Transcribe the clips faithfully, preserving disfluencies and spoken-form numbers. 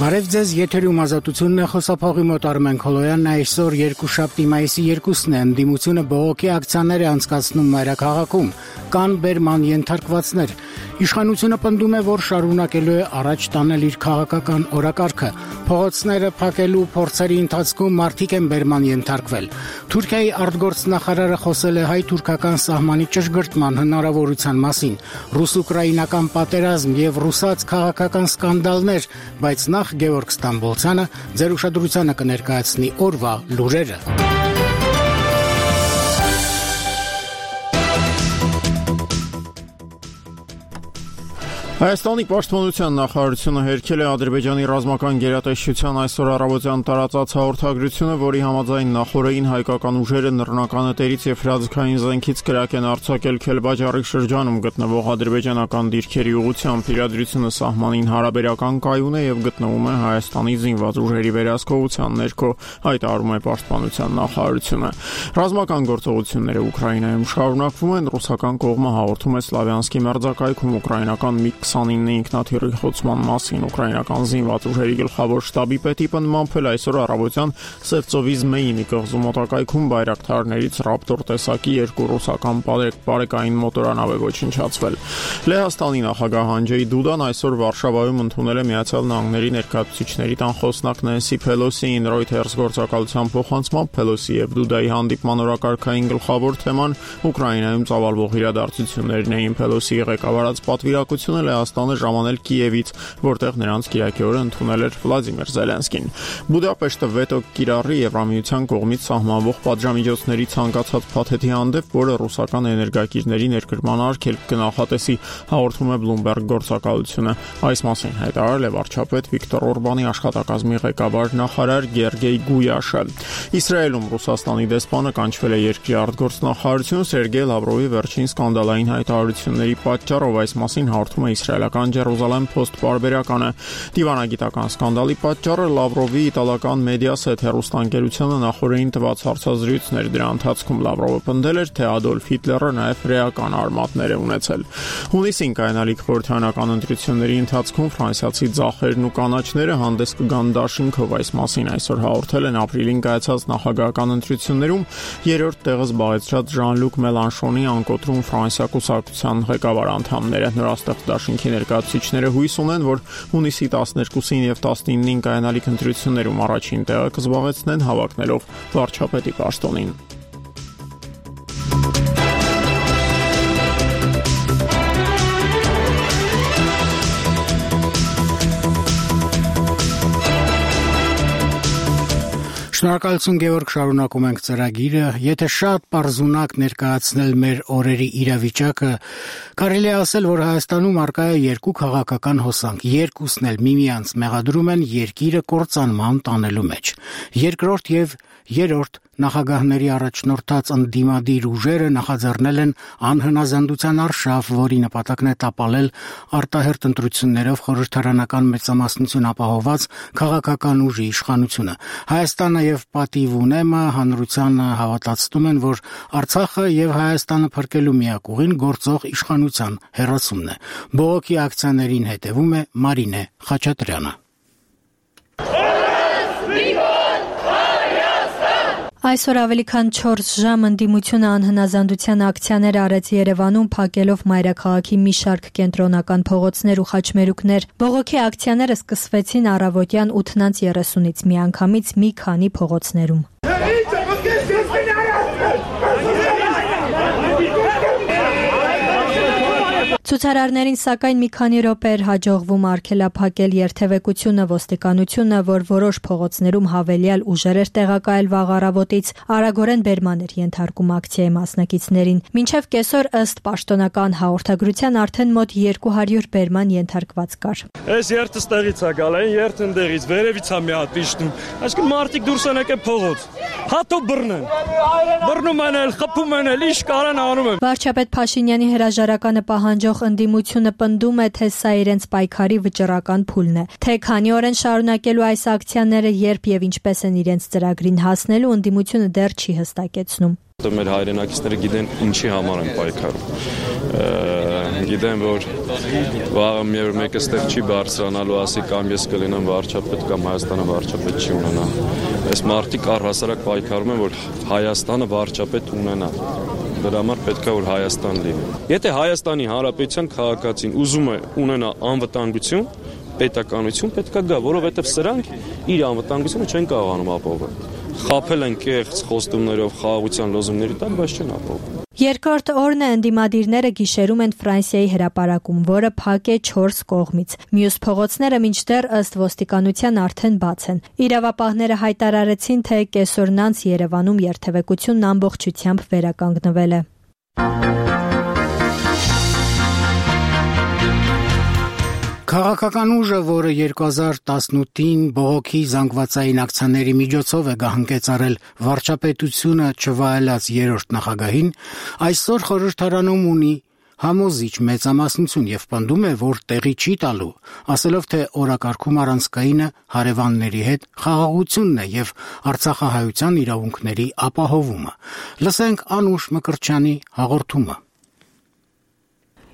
Բարև ձեզ, եթերում ազատությունն է, խոսափողի մոտ Արմեն Քոլոյանն է, այսօր երկուշաբթի մայիսի երկուսն է, ընդդիմությունը բողոքի ակցիաներ է անցկացնում մայրաքաղաքում, կան բերման ենթարկվածներ։ Իշխանությունը պնդում է, որ շարունակելու է առաջ տանել իր քաղաքական օրակարգը։ Փողոցները փակելու փորձերի ընթացքում մարդիկ են բերման ենթարկվել։ Թուրքիայի արտգործնախարարը խոսել է հայ-թուրքական սահմանի ճշգրտման հնարավորության մասին։ Ռուս-ուկրաինական պատերազմ եւ ռուսաց քաղաքական սկանդալներ, բայց նախ Գևորգ Ստամբոլցյանը ձեր ուշադրությանը կներկայացնի օրվա լուրերը։ Հայաստանի պաշտպանության նախարարությունը հերքել է Ադրբեջանի ռազմական գերատեսչության այսօր առավոտյան տարածած հաղորդագրությունը, որի համաձայն նախօրեին հայկական ուժերը նռնականետերից եւ հրաձգային զենքից կրակ են արձակել Քելբաջարի շրջանում գտնվող ադրբեջանական դիրքերի ուղղությամբ։ Իրադրությունը սահմանին հարաբերական կայուն է եւ գտնվում է Հայաստանի զինված ուժերի վերահսկողության ներքո, հայտարարում է պաշտպանության նախարարությունը։ Ռազմական գործողությունները Ուկրաինայում շարունակվում են, ռուսական կողմը հաղորդում է Սլավյանսկի մերձակայքում ուկրաինական մի քսանինը ինքնաթիռի խոցման մասին։ Ուկրաինական զինված ուժերի գլխավոր շտաբի պետի պնդմամբ էլ այսօր առավոտյան Սևծովի Զմեյինի կղզու մոտակայքում բայրակթարներից Ռապտոր տեսակի երկու ռուսական բարեկային մոտորանավ է ոչնչացվել։ Լեհաստանի նախագահ Անջեյ Դուդան այսօր Վարշավայում ընդունել է Միացյալ Նահանգների ներկայացուցիչների տան խոսնակ Նենսի Փելոսիին։ Ռոյթերս գործակալության փոխանցմամբ Փելոսի եւ Դուդայի հանդիպման օրակարգային գլխավոր թեման Ուկրաինայում ծավալվող իրադարձություններն էին։ Փելոսիի ղեկավարած պատվիրակությունը Լեհաստանը ժամանել Կիևից, որտեղ նրանց կիրակի օրը ընդունել էր Վլադիմիր Զելենսկին։ Բուդապեշտը վետո կիրառի Եվրամիության կողմից սահմանվող պատժամիջոցների ցանկացած փաթեթի հանդեպ, որը ռուսական էներգակիրների ներկրման արգելք կնախատեսի, հաղորդում է Bloomberg գործակալությունը։ Այս մասին հայտարարել է վարչապետ Վիկտոր Օրբանի աշխատակազմի ղեկավար նախարար Գերգեյ Գույաշը։ Իսրայելում Ռուսաստանի դեսպանը կանչվել է երկրի արտգործնախարարություն Սերգեյ Լավրովի վերջին սկանդալային հայտարարությունների պատճառով։ Այս մասին հաղորդում է իսրայելական Jerusalem Post պարբերականը։ Դիվանագիտական սկանդալի պատճառը Լավրովի իտալական Mediaset հեռուստաընկերությանը նախորդին տված հարցազրույցն էր։ Դրա ընթացքում Լավրովը պնդել էր, թե Ադոլֆ Հիտլերը նաև ռեական արմատներ է ունեցել։ Հունիսին կայանալիք խորհրդարանական ընտրությունների ընթացքում ֆրանսիացի ձախերն ու կանաչները հանդես կգան դաշինքով։ Այս մասին այսօր հաղորդել են ապրիլին կայացած նախագահական ընտրություններում երրորդ տեղը զբաղեցրած Ժան-Լուկ Մելանշոնի անկոտրում Ֆրանսիա կուսակցության ղեկավար անդամները։ Նորաստեղծ դաշինքի ներկայացուցիչները հույս ունեն, որ հունիսի տասներկուսին եւ տասնինին կայանալիք ընտրություններում առաջին տեղը կզբաղեցնեն հավակնելով վարչապետի պաշտոնին։ Շնորհակալություն Գևորգ, շարունակում ենք ծրագիրը։ Եթե շատ պարզունակ ներկայացնել մեր օրերի իրավիճակը, կարելի է ասել, որ Հայաստանում առկա է երկու քաղաքական հոսանք, երկուսն էլ միմյանց մեղադրում են երկիրը կործանման տանելու մեջ։ Երկրորդ եւ երրորդ նախագահների առաջնորդած ընդդիմադիր ուժերը նախաձեռնել են անհնազանդության արշավ, որի նպատակն է տապալել արտահերթ ընտրություններով խորհրդարանական մեծամասնություն ապահովված քաղաքական ուժի իշխանությունը։ Հայաստանը եւ Պատիվ ունեմը հանրությանը հավատացնում են, որ Արցախը եւ Հայաստանը փրկելու միակ ուղին գործող իշխանության հեռացումն է։ Բողոքի ակցիաներին հետևում է Մարինե Խաչատրյանը։ Այսօր ավելի քան չորս ժամ ընդդիմությունը անհնազանդության ակցիաներ արեց Երևանում, փակելով մայրաքաղաքի մի շարք կենտրոնական փողոցներ ու խաչմերուկներ։ Բողոքի ակցիաները սկսվեցին առավոտյան ութ երեսունից միանգամից մի քանի փողոցներում։ Ցուցարարներին սակայն մի քանի րոպե էր հաջողվում արգելափակել երթևեկությունը, ոստիկանությունը, որ որոշ փողոցներում հավելյալ ուժեր էր տեղակայել վաղ առավոտից, արագորեն բերման էր ենթարկում ակցիայի մասնակիցներին։ Մինչև կեսօր ըստ պաշտոնական հաղորդագրության արդեն մոտ երկու հարյուր բերման ենթարկված կար։ Այս երթը ստեղից է գալ, այն երթը ընդեղից, վերևից է մի հատ իջնում։ Այսինքն մարդիկ դուրս են եկել փողոց։ Հատո բռնեն։ Բռնում են, խփում են, ինչ կարան անում են։ Վարչապետ Փաշինյանի հրաժարականը պահանջող ընդդիմությունը պնդում է, թե սա իրենց պայքարի վճռական փուլն է։ Թե քանի օր են շարունակելու այս ակցիաները, երբ եւ ինչպես են իրենց ծրագրին հասնելու, ընդդիմությունը դեռ չի հստակեցնում։ Մեր հայրենակիցները գիտեն ինչի համար են պայքարում։ Գիտեմ, որ վաղը մի օր մեկը ստեղ չի բարձրանալու, ասի կամ ես կլինեմ վարչապետ, կամ Հայաստանը վարչապետ չի ունենա։ Այս մարդիկ առհասարակ պայքարում են, որ Հայաստանը վարչապետ ունենա։ Դրա համար պետք է որ Հայաստան լինի։ Եթե Հայաստանի Հանրապետության քաղաքացին ուզում է ունենա անվտանգություն, պետականություն, պետք է գա, որովհետև սրանք իր անվտանգությունը չեն կարողանում ապահովել։ Խաբել են կեղծ խոստումներով, խաղաղության լոզունգների տակ, բայց չեն ապահովում։ Երկրորդ օրն է ընդդիմադիրները գիշերում են Ֆրանսիայի հրապարակում, որը փակ է չորս կողմից։ Մյուս փողոցները մինչդեռ ըստ ոստիկանության արդեն բաց են։ Իրավապահները հայտարարեցին, թե կեսօրն անց Երևանում երթևեկությունն ամբողջությամբ վերականգնվել է։ Քաղաքական ուժը, որը երկու հազար տասնութին բողոքի զանգվածային ակցիաների միջոցով է գահընկեցարել վարչապետությունը չվայելած երրորդ նախագահին, այսօր խորհրդարանում ունի համոզիչ մեծամասնություն եւ պնդում է, որ տեղի չի տալու, ասելով, թե օրակարգում առանցքայինը հարևանների հետ խաղաղությունն է եւ արցախահայության իրավունքների ապահովումը։ Լսենք Անուշ Մկրտչյանի հաղորդումը։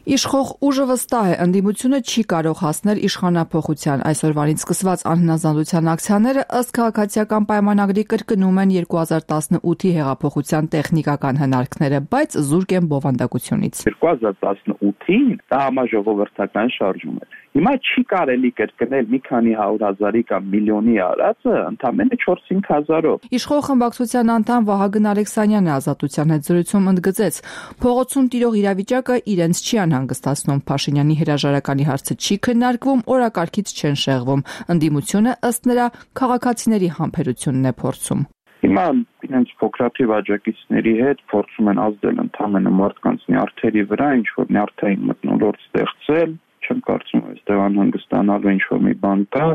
Իշխող ուժը վստահ է, ընդդիմությունը չի կարող հասնել իշխանափոխության։ Այսօրվանից սկսված անհնազանդության ակցիաները ըստ քաղաքացիական պայմանագրի կրկնում են երկու հազար տասնութի հեղափոխության տեխնիկական հնարքները, բայց զուրկ են բովանդակությունից։ երկու հազար տասնութին դա համաժողովրդական շարժում էր։ Հիմա չի կարելի կրկնել մի քանի հարյուր հազարի կամ միլիոնի արածը ընդամենը չորս-հինգ հազարով։ Իշխող խմբակցության անդամ Վահագն Ալեքսանյանը Ազատության հետ զրույցում ընդգծեց, փողոցում տիրող իրավիճակը իրենց չի անհանգստացնում, Փաշինյանի հրաժարականի հարցը չի քննարկվում, օրակարգից չեն շեղվում։ Ընդդիմությունը ըստ նրա քաղաքացիների համբերությունն է փորձում։ Հիմա իրենց փոքրաթիվ աջակիցների հետ փորձում են ազդել ընդամենը մարդկանց նյարդերի վրա, ինչ որ նյարդային մթնոլորտ ստեղծել, չեմ կարծում այստեղ անհանգստանալու ինչ որ մի բան կա,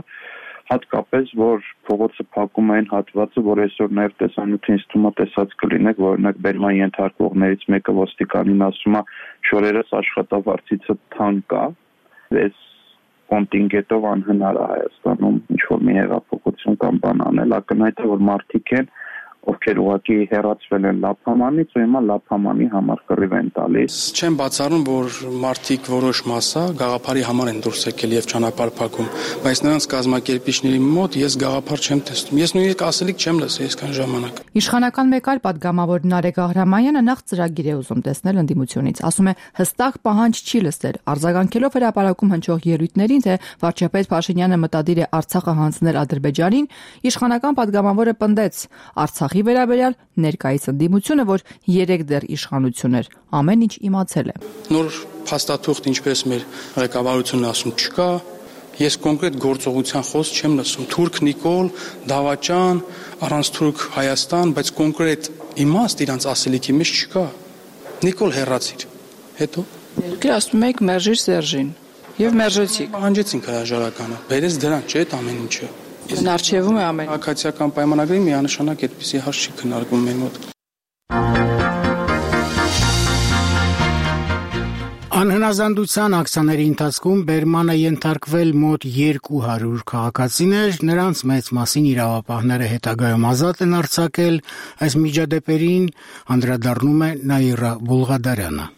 հատկապես որ փողոցը փակում են հատվածը, որ այսօր նաև տեսանյութին ստումա տեսած կլինեք, որ օրինակ բերման ենթարկվողներից մեկը ոստիկանին ասում է շորերս աշխատավարձիցը թան կա, այս կոնտինգենտով անհնար է Հայաստանում ինչ որ մի հեղափոխություն կամ բան անել, ակնհայտ է որ մարդիկ են ովքեր ուղղակի հեռացվել են Լափամանից ու հիմա Լափամանի համար կռիվ են տալիս։ Չեմ բացառում, որ մարդիկ որոշ մասը գաղափարի համար են դուրս եկել եւ ճանապարհ փակում, բայց նրանց կազմակերպիչների մոտ ես գաղափար չեմ տեսնում։ Ես նույնիսկ ասելիք չեմ լսել այսքան ժամանակ։ Իշխանական մեկ այլ падգամավոր Նարեկ Աղրամանյանը նախ ծրագիր է ուզում տեսնել ընդդիմությունից, ասում է հստակ պահանջ չի լսել, արձագանքելով հրապարակում հնչող ելույթներին, թե վարչապետ Փաշինյանը մտադիր է Արցախը հանձնել Ադրբեջանին, իշխանական падգամավորը պնդեց Արցախի վերաբերյալ ներկայիս ընդդիմությունը, որ երեք դեռ իշխանություն էր, ամեն ինչ իմացել է։ Նոր փաստաթուղթ, ինչպես մեր ղեկավարությունն ասում, չկա։ Ես կոնկրետ գործողության խոսք չեմ լսում։ Թուրք Նիկոլ, Դավաճան, առանց Թուրք Հայաստան, բայց կոնկրետ իմաստ իրանց ասելիքի մեջ չկա։ Նիկոլ հեռացիր։ Հետո Դուք ասում եք մերժիր Սերժին եւ մերժեցիք։ Պահանջեցինք հրաժարականը։ Բերեց դրան, չէ՞ այդ ամեն ինչը։ Հնարչևում է ամեն։ Քաղաքացիական պայմանագրի միանշանակ այդպիսի հարց չի քննարկվում մեր մոտ։ Անհնազանդության ակցիաների ընթացքում բերմանը ենթարկվել մոտ երկու հարյուր քաղաքացիներ, նրանց մեծ մասին իրավապահները հետագայում ազատ են արձակել, այս միջադեպերին անդրադառնում է Նաիրա Բուլղադարյանը։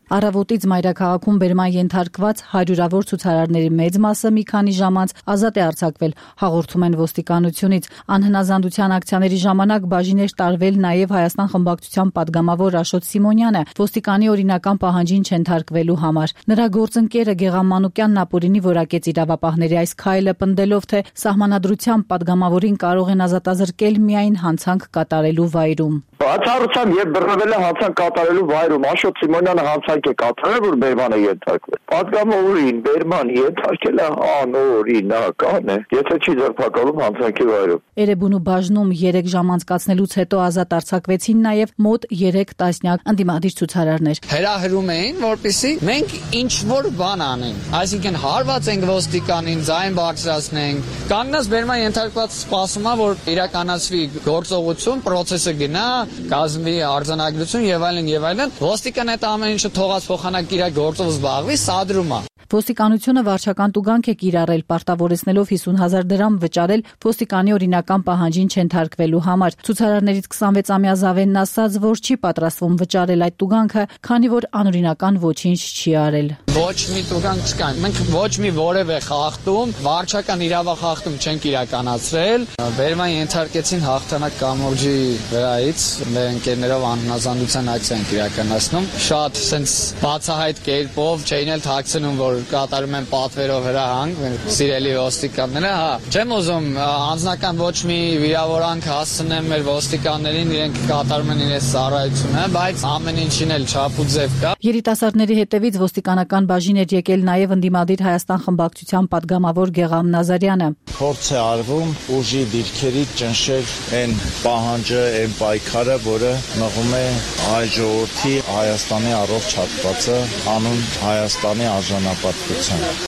Առավոտից մայրաքաղաքում բերման ենթարկված հարյուրավոր ցուցարարների մեծ մասը մի քանի ժամ անց ազատ է արձակվել, հաղորդում են ոստիկանությունից։ Անհնազանդության ակցիաների ժամանակ բաժին էր տարվել նաև Հայաստան խմբակցության падգամավոր Աշոտ Սիմոնյանը, ոստիկանի օրինական պահանջին չենթարկվելու համար։ Նրա գործընկերը Գեգամ Մանուկյանն ապօրինի որակեց իրավապահների այս քայլը, պնդելով, թե սահմանադրությամբ падգամավորին կարող են ազատազրկել միայն հանցանք կատարելու վայրում։ Բացառությամբ եւ բռնվել է հանցանք կատարելու վայրում, Աշոտ Սիմոնյանը հանցանք է կատարել, որ բերմանը ենթարկվել։ Պատգամավորին բերման ենթարկելը անօրինական է, եթե չի ձերբակալում հանցանքի վայրում։ Էրեբունու բաժնում երեք ժամ անցկացնելուց հետո ազատ արձակվեցին նաև մոտ երեք տասնյակ ընդդիմադիր ցուցարարներ։ Հրահրում էին, որպեսզի մենք ինչ որ բան անենք, այսինքն հարված ենք ոստիկանին, ձայն բարձրացնենք։ Կանգնած բերման ենթարկված սպասում է, որ իրականացվի գործողություն, process-ը գնա, կազմի արձանագրություն եւ այլն եւ այլն։ Ոստիկան այդ ամեն ինչը թողած փոխանակ իր գործով զբաղվի, սադրում է։ Ոստիկանությունը վարչական տուգանք է կիրառել, պարտավորեցնելով հիսուն հազար դրամ վճարել ոստիկանի օրինական պահանջին չենթարկվելու համար։ Ցուցարարներից քսանվեցամյա Զավենն ասաց, որ չի պատրաստվում վճարել այդ տուգանքը, քանի որ անօրինական ոչինչ չի արել։ Ոչ մի տուգանք չկա։ Մենք ոչ մի որևէ խախտում, վարչական իրավախախտում չենք իրականացրել։ Բերման ենթարկեցին հաղթանակ կամուրջի վրայից, մեր ընկերներով անհնազանդության ակցիա ենք իրականացնում։ Շատ sense բացահայտ կերպով չէին էլ թաքցնում, որ կատարում են պատվերով հրահանգ, սիրելի ոստիկանները, հա։ Չեմ ուզում անձնական ոչ մի վիրավորանք հասցնեմ մեր ոստիկաններին, իրենք կատարում են իրենց ծառայությունը, բայց ամեն ինչին էլ չափ ու ձև կա։ Երիտասարդների հետևից ոստիկանական բաժին էր եկել նաև ընդդիմադիր Հայաստան խմբակցության պատգամավոր Գեղամ Նազարյանը։ Փորձ է արվում ուժի դիրքերից ճնշել այն պահանջը, այն պայքարը, որը մղում է հայ ժողովրդի Հայաստանի առողջ հատվածը անուն Հայաստանի արժանապատվության։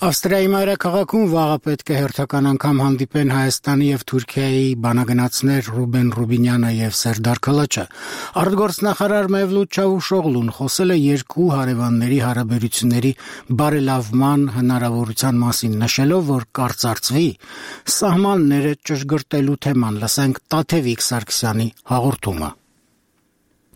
Ավստրիայի մայրաքաղաքում վաղը պետք է հերթական անգամ հանդիպեն Հայաստանի եւ Թուրքիայի բանագնացներ Ռուբեն Ռուբինյանը եւ Սերդար Քլաչը։ Արտգործնախարար Մևլութ Չավուշօղլուն խոսել է երկու հարևանների հարաբերությունների բարելավման հնարավորության մասին, նշելով, որ կարծարծվի սահմանները ճշգրտելու թեման։ Լսենք Տաթևիկ Սարգսյանի հաղորդումը։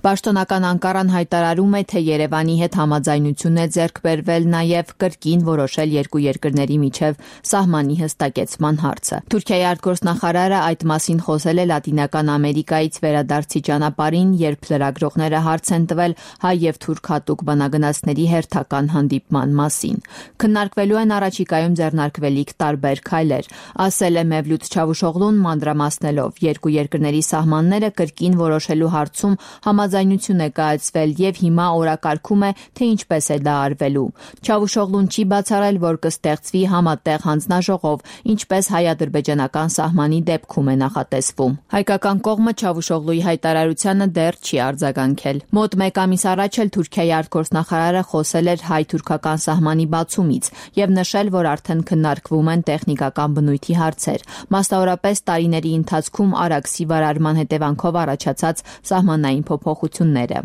Պաշտոնական Անկարան հայտարարում է, թե Երևանի հետ համաձայնություն է ձեռք բերվել նաև կրկին որոշել երկու երկրների միջև սահմանի հստակեցման հարցը։ Թուրքիայի արտգործնախարարը այդ մասին խոսել է Լատինական Ամերիկայից վերադարձի ճանապարհին, երբ լրագրողները հարց են տվել հայ եւ թուրք հատուկ բանագնացների հերթական հանդիպման մասին։ Քննարկվելու են առաջիկայում ձեռնարկվելիք տարբեր քայլեր, ասել է Մևլութ Չավուշօղլուն, մանրամասնելով երկու երկրների սահմանները կրկին որոշելու հարցում համաձայնություն է կայացվել եւ հիմա օրակարգում է, թե ինչպես է դա արվելու։ Չավուշօղլուն չի բացառել, որ կստեղծվի համատեղ հանձնաժողով, ինչպես հայ-ադրբեջանական սահմանի դեպքում է նախատեսվում։ Հայկական կողմը Չավուշօղլուի հայտարարությանը դեռ չի արձագանքել։ Մոտ մեկ ամիս առաջ էլ Թուրքիայի արտգործնախարարը խոսել էր հայ-թուրքական սահմանի բացումից եւ նշել, որ արդեն քննարկվում են տեխնիկական բնույթի հարցեր, մասնավորապես տարիների ընթացքում Արաքսի վարարման հետևանքով առաջացած սահմանային փոփոխությունները։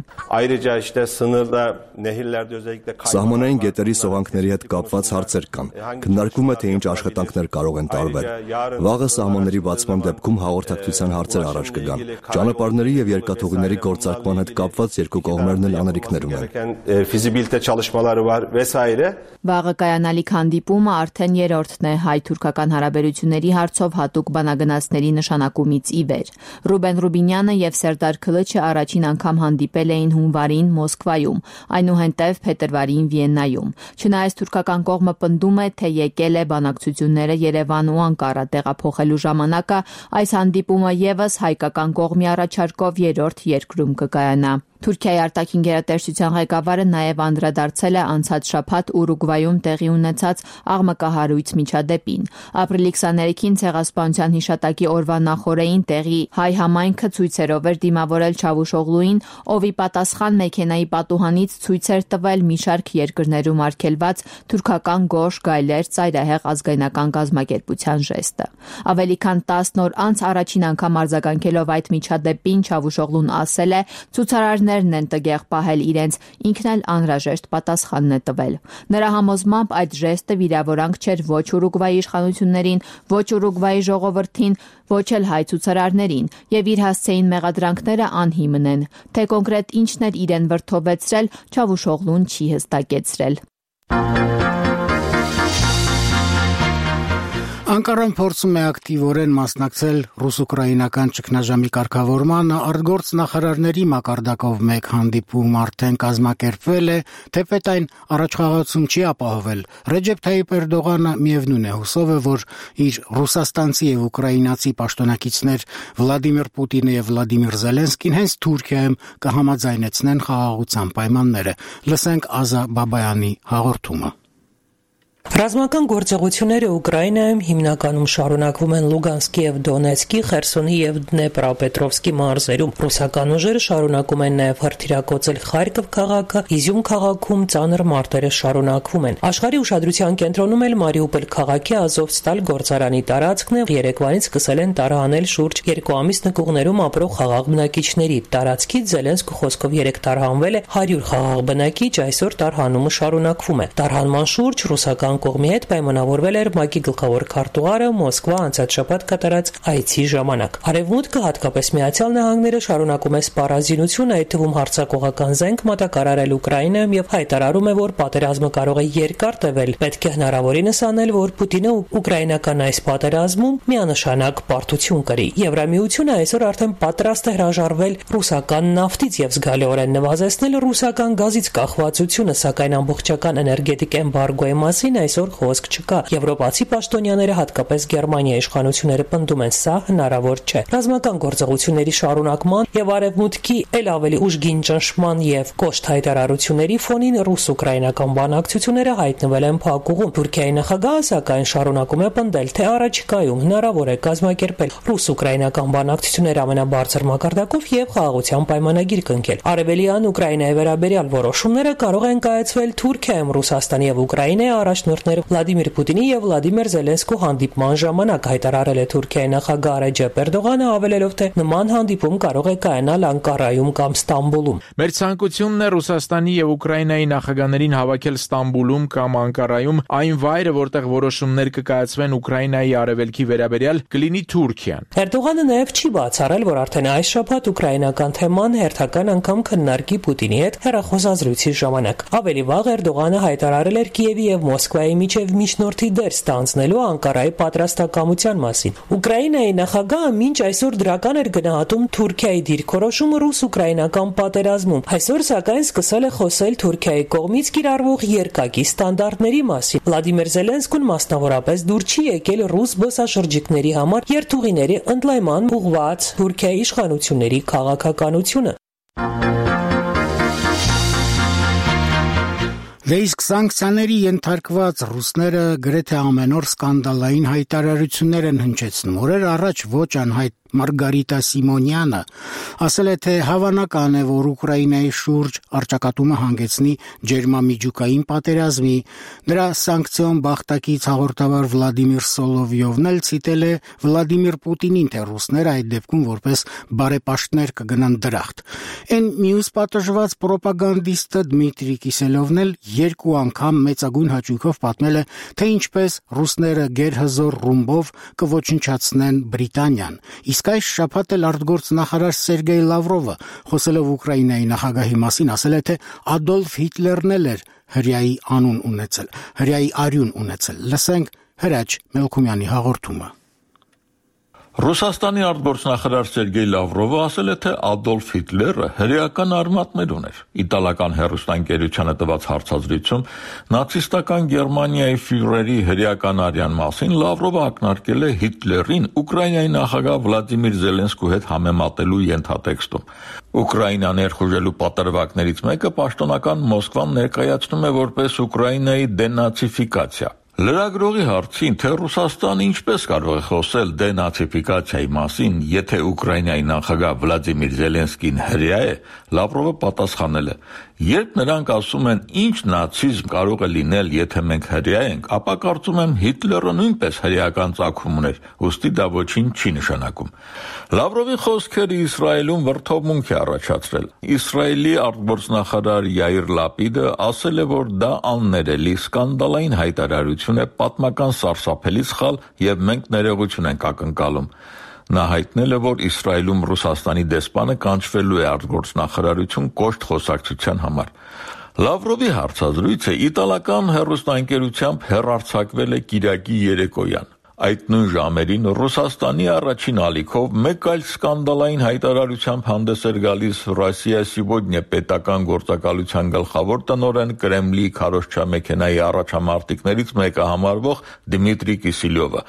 Սահմանային գետերի սողանքների հետ կապված հարցեր կան։ Քննարկվում է, թե ինչ աշխատանքներ կարող են տարվել։ Վաղը սահմանների բացման դեպքում հաղորդակցության հարցեր առաջ կգան։ Ճանապարհների եւ երկաթուղիների գործարկման հետ կապված երկու կողմերն էլ անելիքներ ունեն։ Վաղը կայանալիք հանդիպումը արդեն երրորդն է հայ-թուրքական հարաբերությունների հարցով հատուկ բանագնացների նշանակումից ի վեր։ Ռուբեն Ռուբինյանը եւ Սերդար Քլաչը առաջին անգամ հանդիպել էին հունվարին Մոսկվայում, այնուհետև փետրվարին Վիեննայում։ Չնայած թուրքական կողմը պնդում է, թե եկել է բանակցությունները Երևան ու Անկարա տեղափոխելու ժամանակը, այս հանդիպումը եւս հայկական կողմի առաջարկով երրորդ երկրում կկայանա։ Թուրքիայի արտաքին գերատեսչության ղեկավարը նաև անդրադարձել է անցած շաբաթ Ուրուգվայում տեղի ունեցած աղմկահարույց միջադեպին։ Ապրիլի քսաներեքին ցեղասպանության հիշատակի օրվա նախօրեին տեղի հայ համայնքը ցույցերով էր դիմավորել Չավուշօղլուին, ով ի պատասխան մեքենայի պատուհանից ցույց էր տվել մի շարք երկրներում արգելված թուրքական գորշ գայլեր ծայրահեղ ազգայնական կազմակերպության ժեստը։ Ավելի քան տասն օր անց առաջին անգամ արձագանքելով այդ միջադեպին Չավուշօղլուն ասել է, ցուցարարներն են տգեղ պահել իրենց, ինքն էլ անհրաժեշտ պատասխանն է տվել։ Նրա համոզմամբ այդ ժեստը վիրավորանք չէր ոչ Ուրուգվայի իշխանություններին, ոչ Ուրուգվայի ժողովրդին, ոչ էլ հայ ցուցարարներին, եւ իր հասցեին մեղադրանքները անհիմն են։ Թե կոնկրետ ինչն էր իրեն վրդովեցրել, Չավուշօղլուն չի հստակեցրել։ Անկարան փորձում է ակտիվորեն մասնակցել ռուս-ուկրաինական ճգնաժամի կարգավորմանը, արտգործնախարարների մակարդակով մեկ հանդիպում արդեն կազմակերպվել է, թեպետ այն առաջխաղացում չի ապահովել։ Ռեջեփ Թայիփ Էրդողանը միևնույն է հուսով է, որ իր ռուսաստանցի եւ ուկրաինացի պաշտոնակիցներ Վլադիմիր Պուտինը եւ Վլադիմիր Զելենսկին հենց Թուրքիայում կհամաձայնեցնեն խաղաղության պայմանները։ Լսենք Ազա Բաբայանի հաղորդումը։ Ռազմական գործողությունները Ուկրաինայում հիմնականում շարունակվում են Լուգանսկի եւ Դոնեցկի, Խերսոնի եւ Դնեպրոպետրովսկի մարզերում։ Ռուսական ուժերը շարունակում են նաեւ հրթիռակոծել Խարկով քաղաքը, Իզյում քաղաքում ծանր մարտերը շարունակվում են։ Աշխարհի ուշադրության կենտրոնում էլ Մարիուպոլ քաղաքի Ազովստալ գործարանի տարածքն է։ Երեկվանից սկսել են տարհանել շուրջ երկու ամիս նկուղներում ապրող խաղաղ բնակիչների։ Տարածքից Զելենսկու խոսքով երեք տարհանվել է հարյուր խաղաղ բնակիչ, այսօր տարհանումը շարունակվում է։ Տարհանման շուրջ ռուսական կողմի հետ պայմանավորվել էր ՄԱԿ-ի գլխավոր քարտուղարը Մոսկվա անցած շաբաթ կատարած այցի ժամանակ։ Արևմուտքը, հատկապես Միացյալ Նահանգները, շարունակում է սպառազինություն, այդ թվում հարձակողական զենք մատակարարել Ուկրաինայում եւ հայտարարում է, որ պատերազմը կարող է երկար տևել։ Պետք է հնարավորինս անել, որ Պուտինը ուկրաինական այս պատերազմում միանշանակ պարտություն կրի։ Եվրամիությունը այսօր արդեն պատրաստ է հրաժարվել ռուսական նավթից եւ զգալիորեն նվազեցնել ռուսական գազից կախվածությունը, սակայն ամբողջական էներգետիկ էմբարգոյի մասին այսօր խոսք չկա։ Եվրոպացի պաշտոնյաները, հատկապես Գերմանիայի իշխանությունները պնդում են, սա հնարավոր չէ։ Ռազմական գործողությունների շարունակման եւ արևմուտքի ել ավելի ուժգին ճնշման եւ կոշտ հայտարարությունների ֆոնին ռուս-ուկրաինական բանակցությունները հայտնվել են փակուղում։ Թուրքիայի նախագահը, սակայն, շարունակում է պնդել, թե առաջիկայում հնարավոր է կազմակերպել ռուս-ուկրաինական բանակցություններ ամենաբարձր մակարդակով եւ խաղաղության պայմանագիր կնքել։ Արևելյան Ուկրաինայի վերաբերյալ որոշումները կարող են կայացվել Թուրքիայում, Ռուսաստանի եւ Ուկրաինայի առաջնորդներ Վլադիմիր Պուտինի եւ Վլադիմիր Զելենսկու հանդիպման ժամանակ, հայտարարել է Թուրքիայի նախագահ Ռեջեփ Էրդողանը, հավելելով, թե նման հանդիպում կարող է կայանալ Անկարայում կամ Ստամբուլում։ Մեր ցանկությունն է Ռուսաստանի եւ Ուկրաինայի նախագահներին հավաքել Ստամբուլում կամ Անկարայում, այն վայրը, որտեղ որոշումներ կկայացվեն Ուկրաինայի արևելքի վերաբերյալ, կլինի Թուրքիան։ Էրդողանը նաեւ չի բացառել, որ արդեն այս շաբաթ ուկրաինական թեման հերթական անգամ քննարկի Պուտինի հետ հեռախոսազրույցի ժամանակ։ Ավելի վաղ Էրդողանը հայտարարել էր Կիևի եւ Մոսկվայի միջև միջնորդի դեր ստանձնելու Անկարայի պատրաստակամության մասին։ Ուկրաինայի նախագահը մինչ այսօր դրական էր գնահատում Թուրքիայի դիրքորոշումը ռուս-ուկրաինական պատերազմում։ Այսօր, սակայն, սկսել է խոսել Թուրքիայի կողմից կիրառվող երկակի ստանդարտների մասին։ Վլադիմիր Զելենսկուն մասնավորապես դուր չի եկել ռուս զբոսաշրջիկների համար երթուղիների ընդլայնման ուղղված Թուրքիայի իշխանությունների քաղաքականությունը։ Դե իսկ սանկցիաների ենթարկված ռուսները գրեթե ամեն օր սկանդալային հայտարարություններ են հնչեցնում։ Օրեր առաջ ոչ անհայտ Մարգարիտա Սիմոնյանը ասել է, թե հավանական է, որ Ուկրաինայի շուրջ առճակատումը հանգեցնի ջերմամիջուկային պատերազմի։ Դրա սանկցիոն բախտակից հաղորդավար Վլադիմիր Սոլովյովն էլ ցիտել է Վլադիմիր Պուտինին, թե ռուսները այդ դեպքում որպես բարեպաշտներ կգնան դրախտ։ Այն մյուս պատժված պրոպագանդիստը Դմիտրի Կիսելովն էլ երկու անգամ մեծագույն հաճույքով պատմել է, թե ինչպես ռուսները գերհզոր ռումբով կոչնչացնեն Բրիտանիան։ Իսկ այս շաբաթ էլ արտգործնախարար Սերգեյ Լավրովը, խոսելով Ուկրաինայի նախագահի մասին, ասել է, թե Ադոլֆ Հիտլերն էլ էր հրեայի անուն ունեցել, հրեայի արյուն ունեցել։ Լսենք Հրաչ Մելքումյանի հաղորդումը։ Ռուսաստանի արտգործնախարար Սերգեյ Լավրովը ասել է, թե Ադոլֆ Հիտլերը հրեական արմատներ ուներ։ Իտալական հեռուստաընկերությանը տված հարցազրույցում նացիստական Գերմանիայի ֆյուրերի հրեական արյան մասին Լավրովը ակնարկել է Հիտլերին Ուկրաինայի նախագահ Վլադիմիր Զելենսկու հետ համեմատելու ենթատեքստում։ Ուկրաինա ներխուժելու պատրվակներից մեկը պաշտոնական Մոսկվան ներկայացնում է որպես Ուկրաինայի դենացիֆիկացիա։ Լրագրողի հարցին, թե Ռուսաստանը ինչպես կարող է խոսել դենացիֆիկացիայի մասին, եթե Ուկրաինայի նախագահ Վլադիմիր Զելենսկին հրեա է, Լավրովը պատասխանել է. երբ նրանք ասում են ինչ նացիզմ կարող է լինել, եթե մենք հրեա ենք, ապա կարծում եմ Հիտլերը նույնպես հրեական ծագում ուներ, ուստի դա ոչինչ չի նշանակում։ Լավրովի խոսքերը Իսրայելում վրդովմունք է առաջացրել։ Իսրայելի արտգործնախարար Յայիր Լապիդը ասել է, որ դա աններելի սկանդալային հայտարարություն է, պատմական սարսափելի սխալ եւ մենք ներողություն ենք ակնկալում։ Նա հայտնել է, որ Իսրայելում Ռուսաստանի դեսպանը կանչվելու է արտգործնախարարություն կոշտ խոսակցության համար։ Լավրովի հարցազրույցը իտալական հեռուստաընկերությամբ հեռարձակվել է կիրակի երեկոյան։ Այդ նույն ժամերին Ռուսաստանի առաջին ալիքով մեկ այլ սկանդալային հայտարարությամբ հանդես էր գալիս Ռոսիա Սիգոդնյա պետական գործակալության գլխավոր տնօրեն Կրեմլի քարոզչամեքենայի առաջամարտիկներից մեկը համարվող Դմիտրի Կիսելյովը։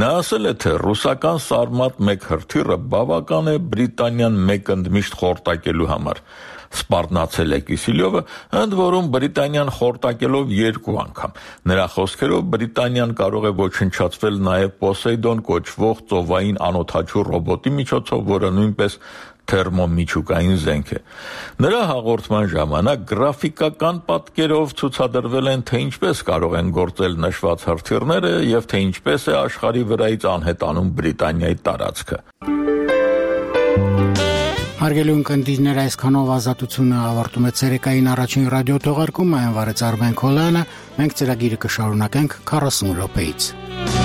Նա ասել է, թե ռուսական Սարմատ մեկ հրթիռը բավական է Բրիտանիան մեկ ընդմիշտ խորտակելու համար։ սպառնացել է Կիսիլյովը, ընդ որում Բրիտանիան խորտակելով երկու անգամ։ Նրա խոսքերով Բրիտանիան կարող է ոչնչացվել նաև Պոսեյդոն կոչվող ծովային անօդաչու ռոբոտի միջոցով, որը նույնպես թերմոմիջուկային զենք է։ Նրա հաղորդման ժամանակ գրաֆիկական պատկերով ցուցադրվել են, թե ինչպես կարող են գործել նշված հրթիռները եւ թե ինչպես է աշխարհի վրայից անհետանում Բրիտանիայի տարածքը։ Հարգելի ունկնդիրներ, այսքանով ազատությունը ավարտում է ցերեկային առաջին ռադիո թողարկումը, այն վարեց Արմեն Քոլյանը, մենք ծրագիրը կշարունակենք քառասուն րոպեից։